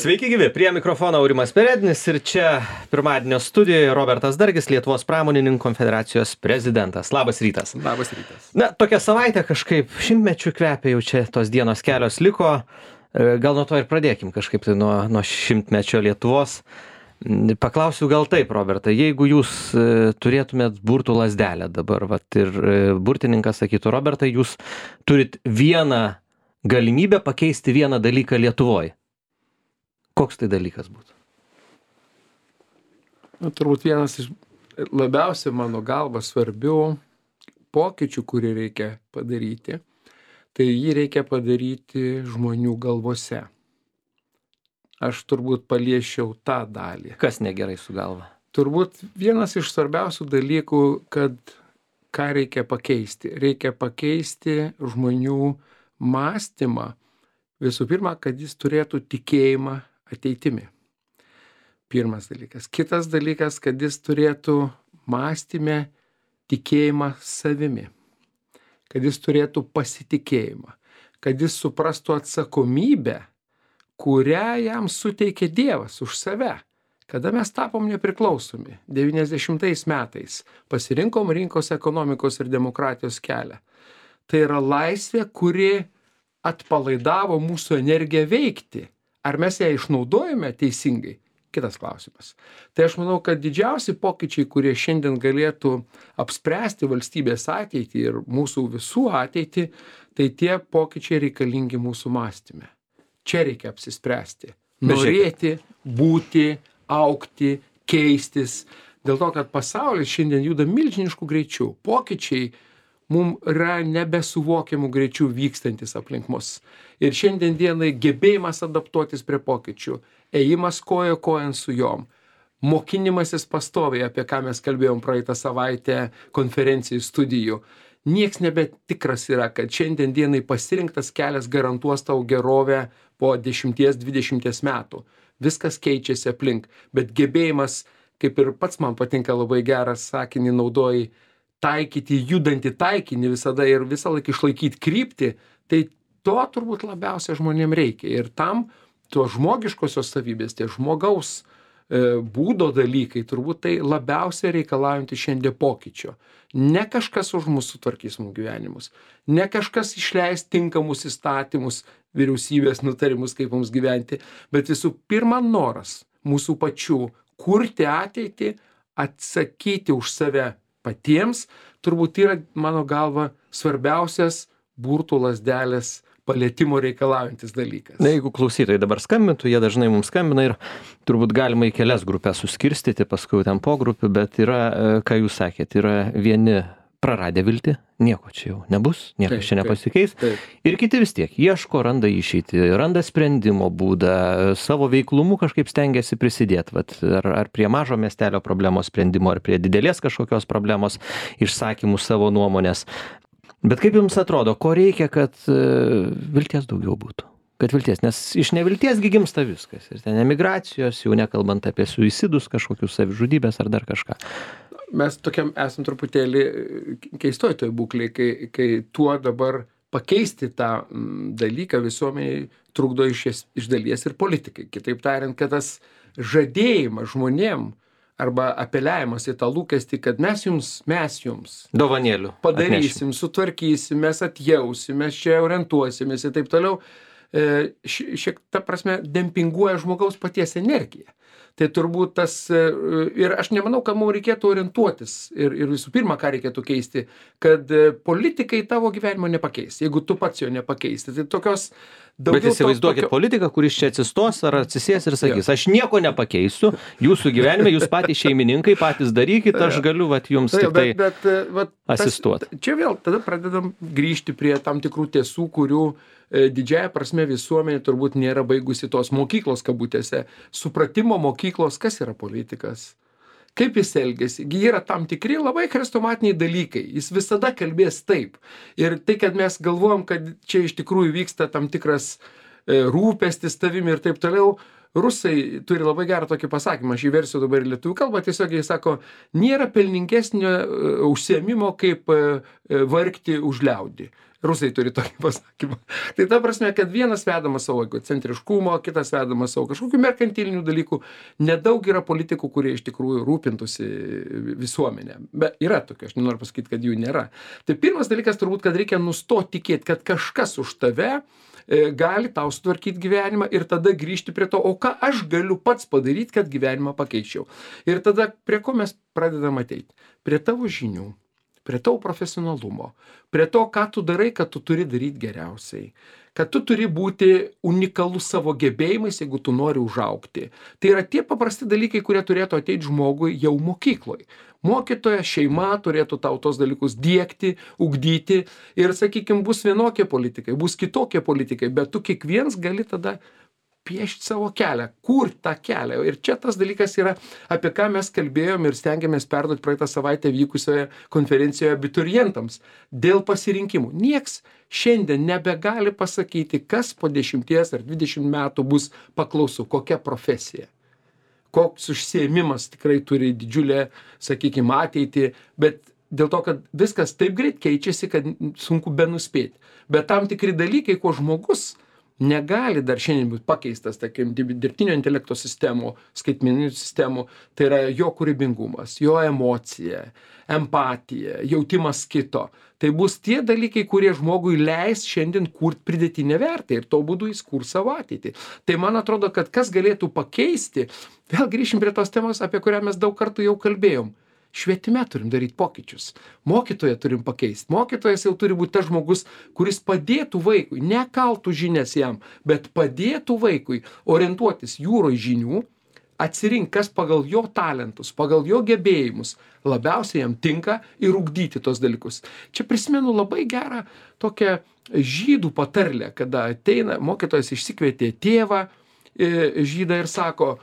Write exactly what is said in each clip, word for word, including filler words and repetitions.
Sveiki gyvi, prie mikrofono Aurimas Perednis ir čia pirmadienio studijoje Robertas Dargis, Lietuvos pramonininkų konfederacijos prezidentas. Labas rytas. Labas rytas. Na, tokia savaitė kažkaip šimtmečių kvepia, jau čia tos dienos kelios liko. Gal nuo to ir pradėkim kažkaip tai nuo, nuo šimtmečio Lietuvos. Paklausiu gal taip, Robertai, jeigu jūs turėtumėt burtų lazdelę dabar, vat, ir burtininkas sakytų, Robertai, jūs turit vieną galimybę pakeisti vieną dalyką Lietuvoje. Koks tai dalykas būtų? Na, turbūt vienas iš labiausiai mano galva svarbių pokyčių, kurį reikia padaryti, tai jį reikia padaryti žmonių galvose. Aš turbūt paliečiau tą dalį. Kas negerai su galva? Turbūt vienas iš svarbiausių dalykų, kad ką reikia pakeisti. Reikia pakeisti žmonių mąstymą. Visų pirma, kad jis turėtų tikėjimą ateitimi. Pirmas dalykas. Kitas dalykas, kad jis turėtų mąstyme tikėjimą savimi. Kad jis turėtų pasitikėjimą. Kad jis suprastų atsakomybę, kurią jam suteikė Dievas už save. Kada mes tapom nepriklausomi, devyniasdešimtais metais, pasirinkom rinkos ekonomikos ir demokratijos kelią. Tai yra laisvė, kuri atpalaidavo mūsų energiją veikti. Ar mes ją išnaudojame teisingai? Kitas klausimas. Tai aš manau, kad didžiausi pokyčiai, kurie šiandien galėtų apspręsti valstybės ateitį ir mūsų visų ateitį, tai tie pokyčiai reikalingi mūsų mąstyme. Čia reikia apsispręsti. Norėti, būti, augti, keistis. Dėl to, kad pasaulis šiandien juda milžiniškų greičių. Pokyčiai mums yra nebesuvokiamų greičių vykstantis aplink mus. Ir šiandien dienai gebėjimas adaptuotis prie pokyčių, ėjimas kojo kojon su jom, mokinimasis pastoviai, apie ką mes kalbėjom praeitą savaitę konferencijų studijų. Nieks nebetikras yra, kad šiandien dienai pasirinktas kelias garantuos tau gerovę po dešimties dvidešimties metų. Viskas keičiasi aplink, bet gebėjimas, kaip ir pats man patinka labai geras sakinį naudoji, taikyti judantį taikinį visada ir visą laiką išlaikyti kryptį, tai to turbūt labiausiai žmonėm reikia. Ir tam to žmogiškosios savybės, tie žmogaus e, būdo dalykai, turbūt tai labiausiai reikalaujantys šiandien pokyčio. Ne kažkas už mūsų sutvarkys mūsų gyvenimus, ne kažkas išleis tinkamus įstatymus, vyriausybės nutarimus, kaip mums gyventi, bet visų pirma noras mūsų pačių kurti ateitį, atsakyti už save patiems, turbūt yra, mano galva, svarbiausias burtų lazdelės palietimo reikalaujantis dalykas. Na, jeigu klausytojai dabar skambintų, jie dažnai mums skambina ir turbūt galima į kelias grupės suskirstyti, paskui ten po grupių, bet yra, ką jūs sakėt, yra vieni praradę viltį, nieko čia jau nebus, niekas taip, čia nepasikeis. Taip, taip. Ir kiti vis tiek ieško, randa išeitį, randa sprendimo būdą, savo veiklumu kažkaip stengiasi prisidėti. Vat, ar, ar prie mažo miestelio problemos sprendimo, ar prie didelės kažkokios problemos išsakymų savo nuomonės. Bet kaip jums atrodo, ko reikia, kad uh, vilties daugiau būtų? Kad vilties, nes iš nevilties gi gimsta viskas. Ir ten emigracijos, jau nekalbant apie suicidus, kažkokius savižudybės ar dar kažką. Mes tokiam esam truputėlį keistoj toj būklėj, kai, kai tuo dabar pakeisti tą dalyką visuomeniai trukdo iš, iš dalies ir politikai. Kitaip tariant, kad tas žadėjimas žmonėm arba apeliavimas į tą lūkestį, kad mes jums, mes jums dovanėlių padarysim, atnešim. Sutvarkysim, mes atjausim, mes čia orientuosimės ir taip toliau, šiek ta prasme dempinguoja žmogaus paties energiją. Tai turbūt tas, ir aš nemanau, kad mums reikėtų orientuotis ir, ir visų pirma, ką reikėtų keisti, kad politikai tavo gyvenimo nepakeis, jeigu tu pats jo nepakeisti. Tai tokios daugiau... Bet įsivaizduokit tokio... politiką, kuris čia atsistos ar atsisės ir sakys, jo. Aš nieko nepakeisiu, jūsų gyvenime, jūs patys šeimininkai, patys darykit, aš galiu vat, jums tai, tik tai bet, bet, vat, asistuoti. Tas, čia vėl tada pradedam grįžti prie tam tikrų tiesų, kurių didžiąja prasme visuomenė turbūt nėra baigusi tos mokyklos kabutėse, supratimo mokyklos, kas yra politikas, kaip jis elgiasi. Yra tam tikri labai chrestomatiniai dalykai, jis visada kalbės taip. Ir tai, kad mes galvojam, kad čia iš tikrųjų vyksta tam tikras rūpestis tavimi ir taip toliau, rusai turi labai gerą tokį pasakymą, aš įversiu dabar į lietuvių kalbą, tiesiog jis sako, nėra pelningesnio užsiėmimo kaip vargti už liaudį. Rusai turi tokį pasakymą. Tai ta prasme, kad vienas vedamas savo egocentriškumo, kitas vedamas savo kažkokių merkantilinių dalykų. Nedaug yra politikų, kurie iš tikrųjų rūpintųsi visuomenę. Bet yra tokių, aš nenoriu pasakyti, kad jų nėra. Tai pirmas dalykas turbūt, kad reikia nustoti tikėti, kad kažkas už tave gali tau sutvarkyti gyvenimą ir tada grįžti prie to, o ką aš galiu pats padaryti, kad gyvenimą pakeičiau. Ir tada prie ko mes pradedam ateiti? Prie tavo žinių, prie tavo profesionalumo, prie to, ką tu darai, kad tu turi daryti geriausiai, kad tu turi būti unikalus savo gebėjimais, jeigu tu nori užaugti. Tai yra tie paprasti dalykai, kurie turėtų ateiti žmogui jau mokykloje. Mokytoja, šeima turėtų tau tos dalykus diegti, ugdyti ir, sakykime, bus vienokie politikai, bus kitokie politikai, bet tu kiekvienas gali tada piešti savo kelią, kur tą kelią. Ir čia tas dalykas yra, apie ką mes kalbėjom ir stengiamės perduoti praeitą savaitę vykusioje konferencijoje abiturientams dėl pasirinkimų. Nieks šiandien nebegali pasakyti, kas po dešimties ar dvidešimt metų bus paklausu, kokia profesija. Koks užsiėmimas tikrai turi didžiulę, sakykime, ateitį, bet dėl to, kad viskas taip greit keičiasi, kad sunku benuspėti. Bet tam tikri dalykai, ko žmogus negali dar šiandien būti pakeistas, tarkim, dirbtinio intelekto sistemų, skaitmeninių sistemų, tai yra jo kūrybingumas, jo emocija, empatija, jautimas kito. Tai bus tie dalykai, kurie žmogui leis šiandien kurti pridėtinę vertę ir to būdu jis kurs savo ateitį. Tai man atrodo, kad kas galėtų pakeisti, vėl grįšim prie tos temos, apie kurią mes daug kartų jau kalbėjom. Švietime turim daryti pokyčius. Mokytoją turim pakeisti. Mokytojas jau turi būti tas žmogus, kuris padėtų vaikui, nekaltų žinias jam, bet padėtų vaikui orientuotis jūroje žinių, atsirinkti, kas pagal jo talentus, pagal jo gebėjimus labiausiai jam tinka ir ugdyti tos dalykus. Čia prisimenu labai gerą tokią žydų patarlę, kada ateina, mokytojas išsikvietė tėvą žydą ir sako,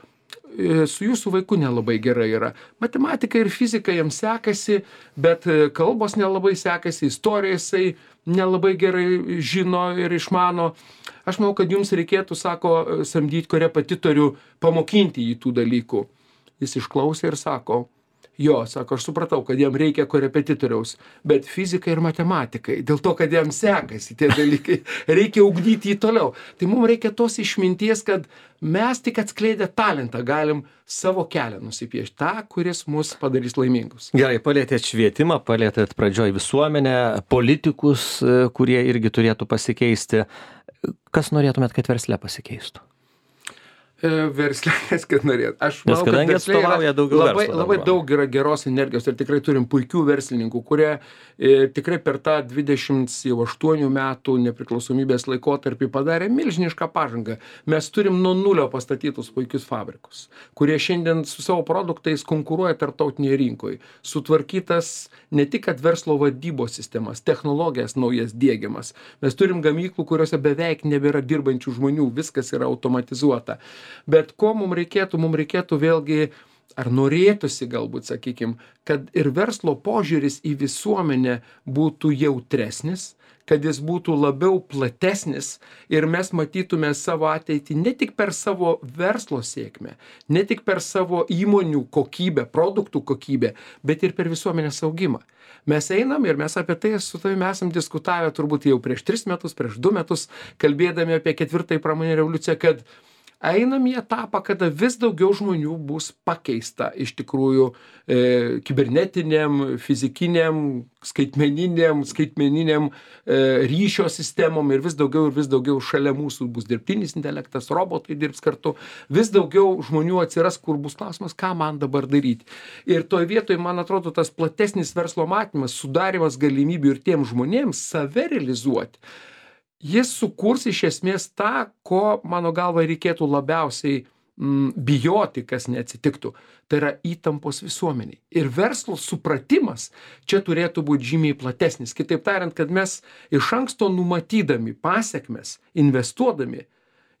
su jūsų vaiku nelabai gerai yra. Matematika ir fizika jam sekasi, bet kalbos nelabai sekasi, istoriją jisai nelabai gerai žino ir išmano. Aš manau, kad jums reikėtų, sako, samdyti korepetitorių, pamokinti jį tų dalykų. Jis išklausė ir sako, jo, sako, aš supratau, kad jam reikia korepetitoriaus, bet fizikai ir matematikai, dėl to, kad jam sekasi tie dalykai, reikia ugdyti jį toliau. Tai mums reikia tos išminties, kad mes tik atskleidę talentą galim savo kelią nusipiešti, tą, kuris mus padarys laimingus. Gerai, palėtėt švietimą, palėtėt pradžioj visuomenę, politikus, kurie irgi turėtų pasikeisti. Kas norėtumėt, kad versle pasikeistų? Verslės, kad norėt. Aš Nes manau, kadangi atstovauja daugiau labai, verslo labai dabar. daug yra geros energijos ir tikrai turim puikių verslininkų, kurie e, tikrai per tą dvidešimt aštuonių metų nepriklausomybės laikotarpį padarė milžinišką pažangą. Mes turim nuo nulio pastatytus puikius fabrikus, kurie šiandien su savo produktais konkuruoja tarptautinėje rinkoje. Sutvarkytas ne tik kad verslo vadybos sistemas, technologijas naujas diegiamas. Mes turim gamyklų, kuriuose beveik nebėra dirbančių žmonių, viskas yra automatizuota. Bet ko mums reikėtų, mums reikėtų vėlgi, ar norėtųsi galbūt, sakykime, kad ir verslo požiūris į visuomenę būtų jautresnis, kad jis būtų labiau platesnis ir mes matytume savo ateitį ne tik per savo verslo sėkmę, ne tik per savo įmonių kokybę, produktų kokybę, bet ir per visuomenės augimą. Mes einam ir mes apie tai su tavimi esam diskutavę turbūt jau prieš tris metus, prieš du metus, kalbėdami apie ketvirtąjį pramoninę revoliuciją, kad einam į etapą, kada vis daugiau žmonių bus pakeista iš tikrųjų e, kibernetiniam, fizikiniam, skaitmeniniam, skaitmeniniam e, ryšio sistemom ir vis daugiau ir vis daugiau šalia mūsų bus dirbtinis intelektas, robotai dirbs kartu, vis daugiau žmonių atsiras, kur bus klausimas, ką man dabar daryti. Ir toj vietoj, man atrodo, tas platesnis verslo matymas, sudarimas galimybių ir tiem žmonėms save realizuoti, jis sukurs iš esmės tą, ko, mano galva, reikėtų labiausiai mm, bijoti, kas neatsitiktų. Tai yra įtampos visuomeniai. Ir verslo supratimas čia turėtų būti žymiai platesnis. Kitaip tariant, kad mes iš anksto numatydami pasiekmes, investuodami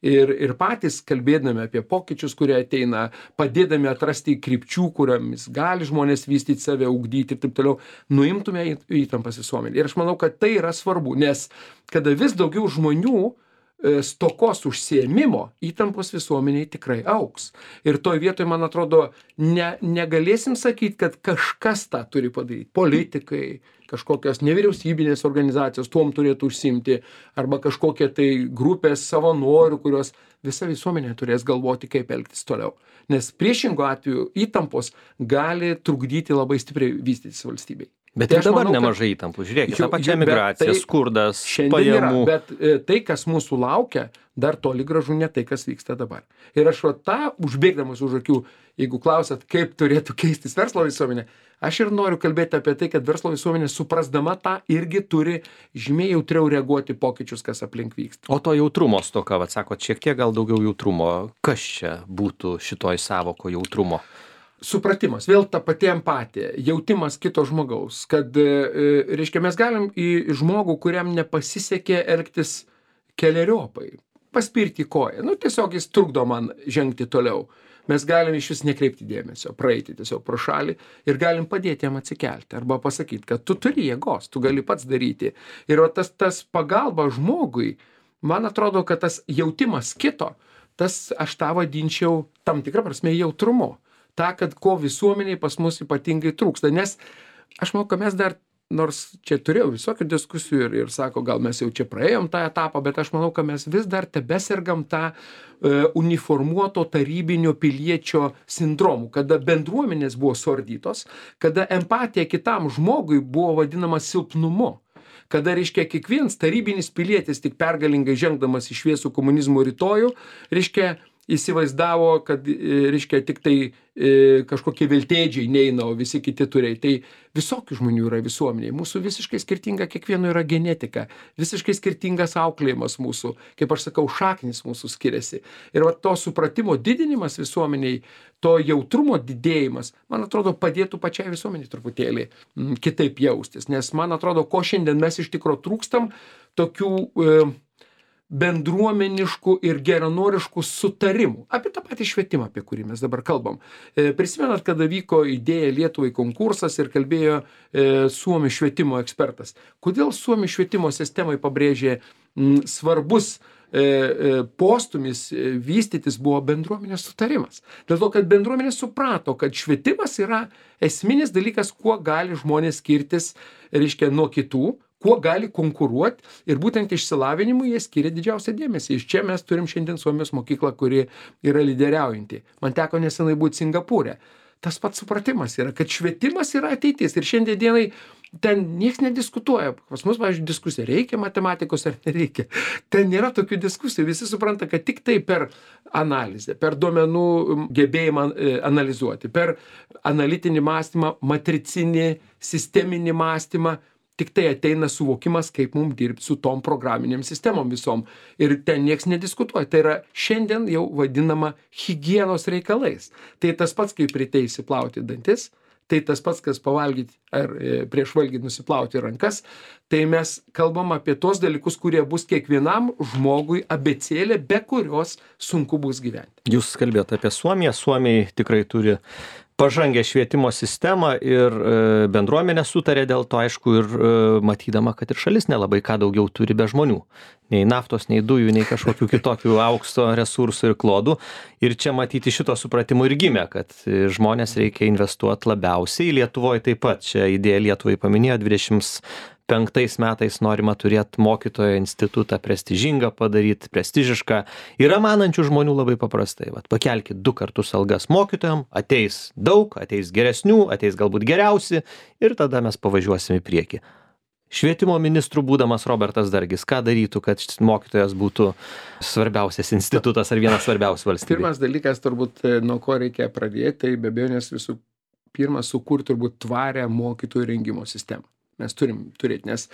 ir, ir patys kalbėdami apie pokyčius, kurie ateina, padėdami atrasti krypčių, kuriomis gali žmonės vystyti save, ugdyti ir taip toliau, nuimtume įtampas visuomenį. Ir aš manau, kad tai yra svarbu, nes kada vis daugiau žmonių stokos užsiėmimo, įtampos visuomeniai tikrai augs. Ir toj vietoj, man atrodo, ne, negalėsim sakyti, kad kažkas tą turi padaryti. Politikai, kažkokios nevyriausybinės organizacijos tuom turėtų užsimti, arba kažkokie tai grupės savanorių, kurios visa visuomenė turės galvoti, kaip elgtis toliau. Nes priešingo atveju įtampos gali trukdyti labai stipriai vystytis valstybei. Bet tai ir dabar manau, nemažai įtampų. Žiūrėkit, ta pačia migracija, tai skurdas, pajamų. Yra, bet e, tai, kas mūsų laukia, dar toli gražu ne tai, kas vyksta dabar. Ir aš va tą, užbėgdamas už akių, jeigu klausat, kaip turėtų keistis verslo visuomenė, aš ir noriu kalbėti apie tai, kad verslo visuomenė suprasdama tą irgi turi žymiai jautriau reaguoti pokyčius, kas aplink vyksta. O to jautrumo stoka, vat sakot, šiek tiek gal daugiau jautrumo. Kas čia būtų šitoj sąvoko jautrumo? Supratimas, vėl ta pati empatija, jautimas kito žmogaus, kad, reiškia, mes galim į žmogų, kuriam nepasisekė elgtis keleriopai, paspirti koją, nu tiesiog jis trukdo man žengti toliau. Mes galim iš vis nekreipti dėmesio, praeiti tiesiog pro šalį ir galim padėti jam atsikelti arba pasakyti, kad tu turi jėgos, tu gali pats daryti. Ir va, tas, tas pagalba žmogui, man atrodo, kad tas jautimas kito, tas aš tą vadinčiau tam tikrą prasme jautrumu. Ta, kad ko visuomeniai pas mus ypatingai trūksta. Nes aš manau, kad mes dar, nors čia turėjau visokių diskusijų ir, ir sako, gal mes jau čia praėjom tą etapą, bet aš manau, kad mes vis dar tebesergam tą e, uniformuoto tarybinio piliečio sindromu, kada bendruomenės buvo suardytos, kada empatija kitam žmogui buvo vadinama silpnumu. Kada, reiškia, kiekvienas tarybinis pilietis tik pergalingai žengdamas į šviesų komunizmo rytojų, reiškia, įsivaizdavo, kad, reiškia, tik tai e, kažkokie viltėdžiai neina, o visi kiti turėjai. Tai visokių žmonių yra visuomeniai. Mūsų visiškai skirtinga, kiekvieno yra genetika, visiškai skirtingas auklėjimas mūsų, kaip aš sakau, šaknis mūsų skiriasi. Ir va, to supratimo didinimas visuomeniai, to jautrumo didėjimas, man atrodo, padėtų pačiai visuomeniai truputėlį m, kitaip jaustis. Nes man atrodo, ko šiandien mes iš tikro trūkstam, tokių e, bendruomeniškų ir geranoriškų sutarimų. Apie tą patį švietimą, apie kurį mes dabar kalbam. E, prisimenat, kada vyko idėja Lietuvai konkursas ir kalbėjo e, Suomių švietimo ekspertas. Kodėl Suomių švietimo sistemai pabrėžė m, svarbus e, e, postumis e, vystytis buvo bendruomenės sutarimas. Dėl to, kad bendruomenė suprato, kad švietimas yra esminis dalykas, kuo gali žmonės skirtis, reiškia, nuo kitų, kuo gali konkuruoti ir būtent išsilavinimui jie skiria didžiausią dėmesį. Iš čia mes turim šiandien Suomijos mokyklą, kuri yra lyderiaujanti. Man teko nesenai būti Singapūre. Tas pats supratimas yra, kad švietimas yra ateitis ir šiandien dienai ten nieks nediskutuoja. Pas mus, pavyzdžiui, diskusija, reikia matematikos ar nereikia. Ten nėra tokių diskusijų. Visi supranta, kad tik tai per analizę, per duomenų gebėjimą analizuoti, per analitinį mąstymą, matricinį, sisteminį mąstymą, tik tai ateina suvokimas, kaip mums dirbti su tom programinėm sistemom visom. Ir ten nieks nediskutuoja. Tai yra šiandien jau vadinama higienos reikalais. Tai tas pats, kaip ryte įsiplauti dantis, tai tas pats, kas pavalgyti ar e, prieš valgyti nusiplauti rankas. Tai mes kalbam apie tos dalykus, kurie bus kiekvienam žmogui abėcėlė, be kurios sunku bus gyventi. Jūs kalbėjote apie Suomiją. Suomiai tikrai turi pažangę švietimo sistemą ir e, bendruomenė sutarė dėl to, aišku, ir e, matydama, kad ir šalis nelabai ką daugiau turi be žmonių. Nei naftos, nei dujų, nei kažkokių kitokių aukso resursų ir klodų. Ir čia matyti šito supratimu ir gimė, kad žmonės reikia investuoti labiausiai. Lietuvoje taip pat čia idėja Lietuvai paminėjo dvidešimt penktais metais norima turėti mokytojo institutą prestižingą padaryti, prestižišką. Yra manančių žmonių labai paprastai. Vat, pakelkit du kartus algas mokytojam, ateis daug, ateis geresnių, ateis galbūt geriausi ir tada mes pavažiuosim į priekį. Švietimo ministrų būdamas Robertas Dargis, ką darytų, kad mokytojas būtų svarbiausias institutas ar vienas svarbiausių valstybėje? Pirmas dalykas, turbūt, nuo ko reikia pradėti, tai be abejonės visų pirma sukurti turbūt tvarę mokytojų rengimo sistemą. Mes turim turėti, nes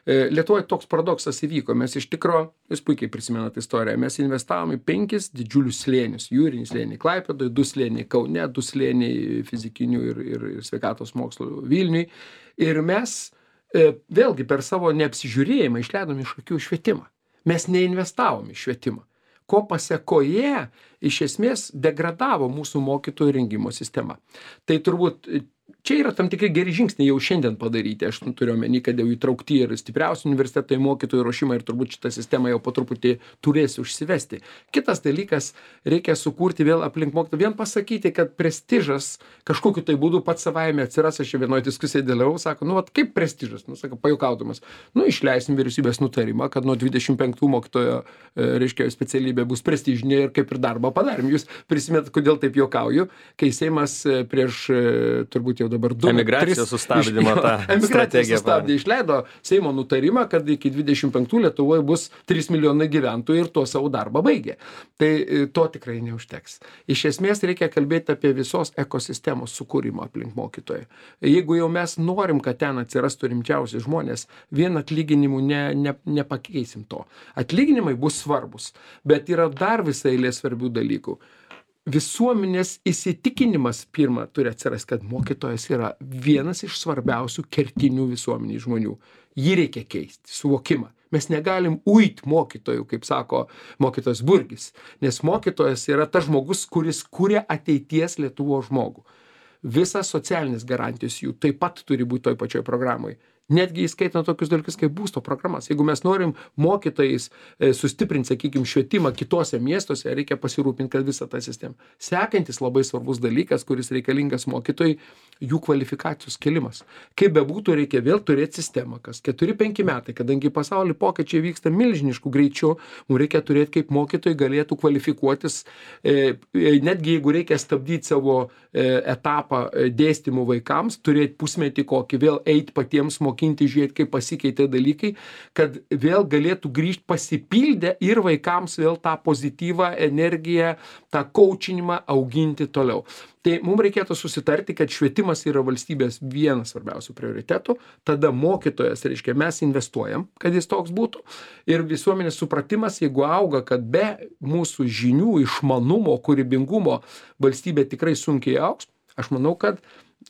e, Lietuvoje toks paradoksas įvyko. Mes iš tikro, jūs puikiai prisimenat istoriją, mes investavom į penkis didžiulius slėnius. Jūrinį slėnį Klaipėdoje, du slėniai Kaune, du slėniai fizikinių ir, ir, ir sveikatos mokslo Vilniui. Ir mes e, vėlgi per savo neapsižiūrėjimą išleidom iš akių švietimą. Mes neinvestavom į švietimą. Ko pasekoje iš esmės degradavo mūsų mokytojų rengimo sistema. Tai turbūt čia yra tam tikri geri žingsniai jau šiandien padaryti. Aš turiu omeny, kad jau įtraukti ir stipriausi universitetai mokytojų ruošimą ir turbūt šitą sistemą jau po truputį turės užsivesti. Kitas dalykas, reikia sukurti vėl aplink mokytojų, vien pasakyti, kad prestižas kažkokiu tai būdu pats savaime atsiras. Aš vienoje diskusijoje dalyvavau, sako, nu vat kaip prestižas, nu sako, pajuokaudamas, nu išleisim vyriausybės nutarimą, kad nuo dvidešimt penktų mokytojo, reiškia, specialybė bus prestižinė ir kaip ir darbą padarėm. Jūs prisimenat, kodėl taip juokauju, kai Seimas prieš turbūt jau dabar du emigracijos sustabdymo tą strategiją sustabdė, išleido Seimo nutarimą, kad iki dvidešimt penktų Lietuvoje bus trys milijonai gyventojų ir tuo savo darbą baigė. Tai to tikrai neužteks. Iš esmės reikia kalbėti apie visos ekosistemos sukūrimą aplink mokytoją. Jeigu jau mes norim, kad ten atsirastų rimčiausi žmonės, vien atlyginimų ne, ne, nepakeisim to. Atlyginimai bus svarbus, bet yra dar visai eilė svarbių dalykų. Visuomenės įsitikinimas pirma turi atsirasti, kad mokytojas yra vienas iš svarbiausių kertinių visuomeniai žmonių. Jį reikia keisti, suvokimą. Mes negalim uit mokytojų, kaip sako mokytojas Burgis, nes mokytojas yra tas žmogus, kuris kuria ateities Lietuvos žmogų. Visas socialinis garantijos jų taip pat turi būti toj pačioj programai. Netgi įskaitant tokius dalykus kaip būsto programas. Jeigu mes norim mokytojais e, sustiprinti, sakykime, švietimą kitose miestuose, reikia pasirūpinti, kad visą tą sistemą. Sekantis labai svarbus dalykas, kuris reikalingas mokytojai, jų kvalifikacijos kelimas. Kaip bebūtų, reikia vėl turėti sistemą, kas keturi penki metai, kadangi pasaulyje pokyčiai vyksta milžiniškų greičių, mums reikia turėti, kaip mokytojai galėtų kvalifikuotis, e, e, netgi jeigu reikia stabdyti savo e, etapą e, dėstymų vaikams, turėti pusmetį kokį, vėl eiti patiems mokyti, žiūrėti, kaip pasikeitė dalykai, kad vėl galėtų grįžti pasipildę ir vaikams vėl tą pozityvą energiją, tą coachinimą auginti toliau. Tai mums reikėtų susitarti, kad švietimas yra valstybės vienas svarbiausių prioritetų, tada mokytojas, reiškia, mes investuojam, kad jis toks būtų, ir visuomenės supratimas, jeigu auga, kad be mūsų žinių, išmanumo, kūrybingumo valstybė tikrai sunkiai augs, aš manau, kad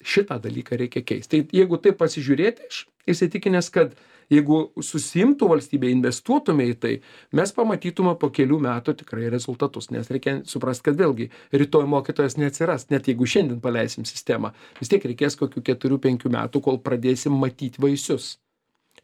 šitą dalyką reikia keisti. Tai jeigu taip pasižiūrėti, aš įsitikinęs, kad jeigu susimtų valstybė, investuotume į tai, mes pamatytume po kelių metų tikrai rezultatus, nes reikia suprasti, kad vėlgi rytoj mokytojas neatsiras, net jeigu šiandien paleisim sistemą, vis tiek reikės kokių keturių penkių metų, kol pradėsim matyti vaisius.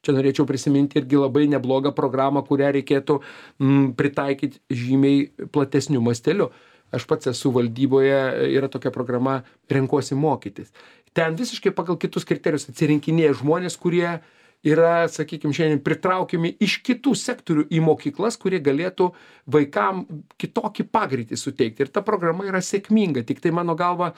Čia norėčiau prisiminti irgi labai neblogą programą, kurią reikėtų mm, pritaikyti žymiai platesniu masteliu. Aš pats esu valdyboje, yra tokia programa Renkuosi mokytis. Ten visiškai pagal kitus kriterijus atsirinkinėja žmonės, kurie yra, sakykime, šiandien pritraukiami iš kitų sektorių į mokyklas, kurie galėtų vaikam kitokį pagreitį suteikti. Ir ta programa yra sėkminga, tik tai mano galva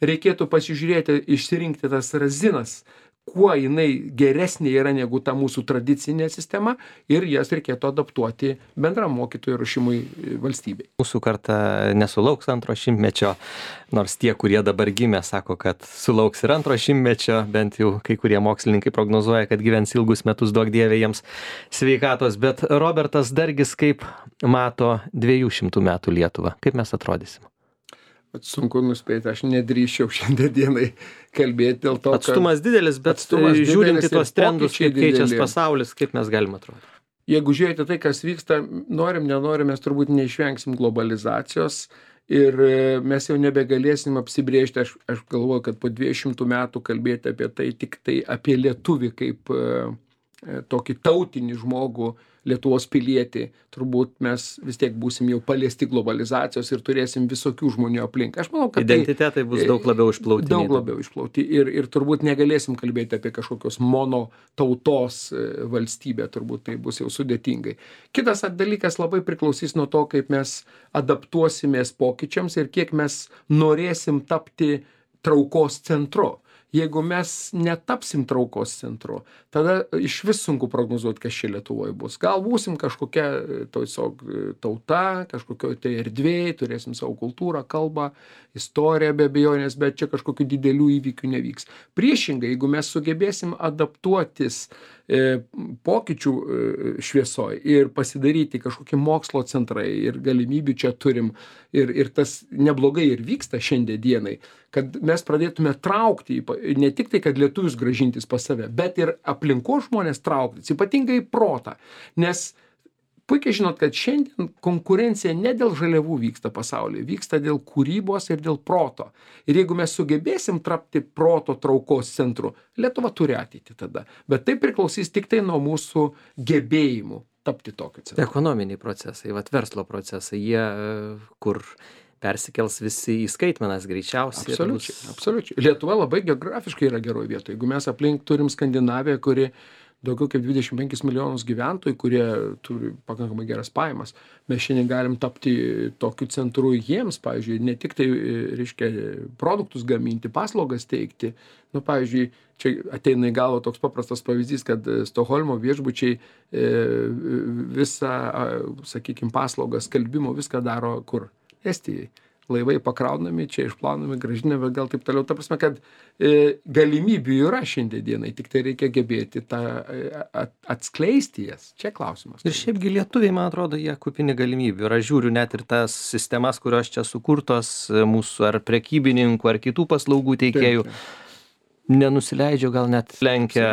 reikėtų pasižiūrėti, išsirinkti tas razinas, kuo jinai geresnė yra negu ta mūsų tradicinė sistema ir jas reikėtų adaptuoti bendram mokytojų ruošimui valstybei. Mūsų karta nesulauks antro šimtmečio, nors tie, kurie dabar gimė, sako, kad sulauks ir antro šimtmečio, bent jau kai kurie mokslininkai prognozuoja, kad gyvens ilgus metus, duok dievė jiems sveikatos. Bet Robertas Dargis kaip mato dviejų šimtų metų Lietuvą? Kaip mes atrodysim? Sunku nuspėti, aš nedrįščiau šiandien dienai kalbėti dėl to, kad... Atstumas didelis, bet atstumas žiūrint į didelis tuos trendus, kaip keičias dideli. pasaulis, kaip mes galim atrodyti. Jeigu žiūrėti tai, kas vyksta, norim, nenorim, mes turbūt neišvengsim globalizacijos ir mes jau nebegalėsim apsibrėžti, aš, aš galvoju, kad po dviejų šimtų metų kalbėti apie tai, tik tai apie lietuvį kaip e, tokį tautinį žmogų, Lietuvos pilietį, turbūt mes vis tiek būsim jau paliesti globalizacijos ir turėsim visokių žmonių aplink. Aš manau, kad identitetai tai, bus daug labiau išplauti. Daug labiau išplauti ir, ir turbūt negalėsim kalbėti apie kažkokios mono tautos valstybę, turbūt tai bus jau sudėtingai. Kitas dalykas labai priklausys nuo to, kaip mes adaptuosimės pokyčiams ir kiek mes norėsim tapti traukos centru. Jeigu mes netapsim traukos centru, tada iš vis sunku prognozuoti, kas čia Lietuvoje bus. Gal būsim kažkokia tiesiog tauta, kažkokioj tai erdvėj, turėsim savo kultūrą, kalbą, istoriją be abejonės, bet čia kažkokių didelių įvykių nevyks. Priešingai, jeigu mes sugebėsim adaptuotis e, pokyčių e, šviesoj ir pasidaryti kažkokie mokslo centrai ir galimybių čia turim ir, ir tas neblogai ir vyksta šiandien dienai, kad mes pradėtume traukti, ne tik tai, kad lietuvius grąžintis pas save, bet ir aplinkos žmonės trauktis, ypatingai protą. Nes puikiai žinot, kad šiandien konkurencija ne dėl žaliavų vyksta pasaulyje, vyksta dėl kūrybos ir dėl proto. Ir jeigu mes sugebėsim tapti proto traukos centru, Lietuva turi ateitį tada. Bet tai priklausys tik tai nuo mūsų gebėjimų tapti tokiu centru. Ekonominiai procesai, vat verslo procesai, jie kur persikels visi į skaitmenas greičiausiai. Absoliučiai, absoliučiai. Lietuva labai geografiškai yra geroj vietoje. Jeigu mes aplink turim Skandinaviją, kuri daugiau kaip dvidešimt penkis milijonus gyventojų, kurie turi pakankamai geras pajamas, mes šiandien galim tapti tokiu centru jiems, pavyzdžiui, ne tik tai, reiškia, produktus gaminti, paslaugas teikti. Nu, pavyzdžiui, čia ateina į galvą toks paprastas pavyzdys, kad Stokholmo viešbučiai visą, sakykime, paslaugą skalbimo viską daro kur? Estijai. Laivai pakraunami, čia išplaunami, gražinami, gal taip toliau. Ta prasme, kad e, galimybių yra šiandien dienai, tik tai reikia gebėti tą at, atskleisti jas. Čia klausimas. Ir šiaipgi lietuviai, man atrodo, jie kupini galimybių. Ir aš žiūriu net ir tas sistemas, kurios čia sukurtos mūsų ar prekybininkų, ar kitų paslaugų teikėjų. Taip, taip. Nenusileidžiu, gal net lenkia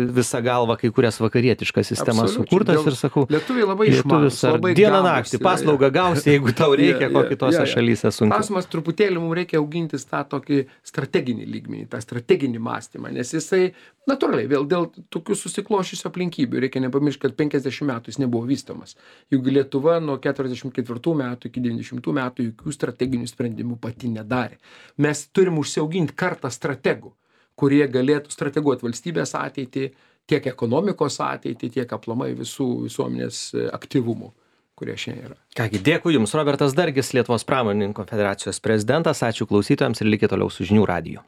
visą galvą kai kurias vakarietiškas sistemas sukurtas ir sakau, lietuviai labai išmanūs, labai dieną naktį paslaugą gausi, jeigu tau reikia, ko kitose šalyse sunku. Klausimas, truputėlį mums reikia augintis tą tokį strateginį lygmenį, tą strateginį mąstymą, nes jisai natūraliai, vėl dėl tokių susiklošysių aplinkybių, reikia nepamiršti, kad penkiasdešimt metų jis nebuvo vystomas. Juk Lietuva nuo keturiasdešimt ketvirtų metų iki devyniasdešimtų metų jokių strateginių sprendimų pati nedarė. Mes turim užsiauginti kartą strategų, kurie galėtų strateguoti valstybės ateitį, tiek ekonomikos ateitį, tiek aplamai visų visuomenės aktyvumų, kurie šiandien yra. Kągi, dėkui Jums, Robertas Dargis, Lietuvos pramonininkų konfederacijos prezidentas. Ačiū klausytojams ir likite toliau su Žinių radiju.